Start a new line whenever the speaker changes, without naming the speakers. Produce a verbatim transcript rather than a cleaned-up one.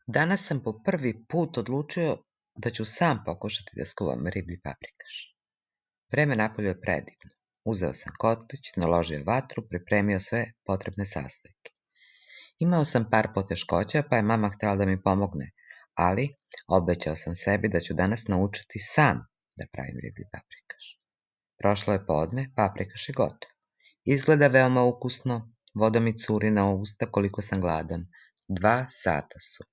Danas sam po prvi put odlučio da ću sam pokušati da skuvam riblji paprikaš. Vreme napolju je predivno. Uzeo sam kotlić, naložio vatru, pripremio sve potrebne sastojke. Imao sam par poteškoća, pa je mama htjela da mi pomogne, ali obećao sam sebi da ću danas naučiti sam da pravim riblji paprikaš. Prošlo je podne, paprikaš je gotov. Izgleda veoma ukusno, voda mi curi na usta koliko sam gladan. Dva sata su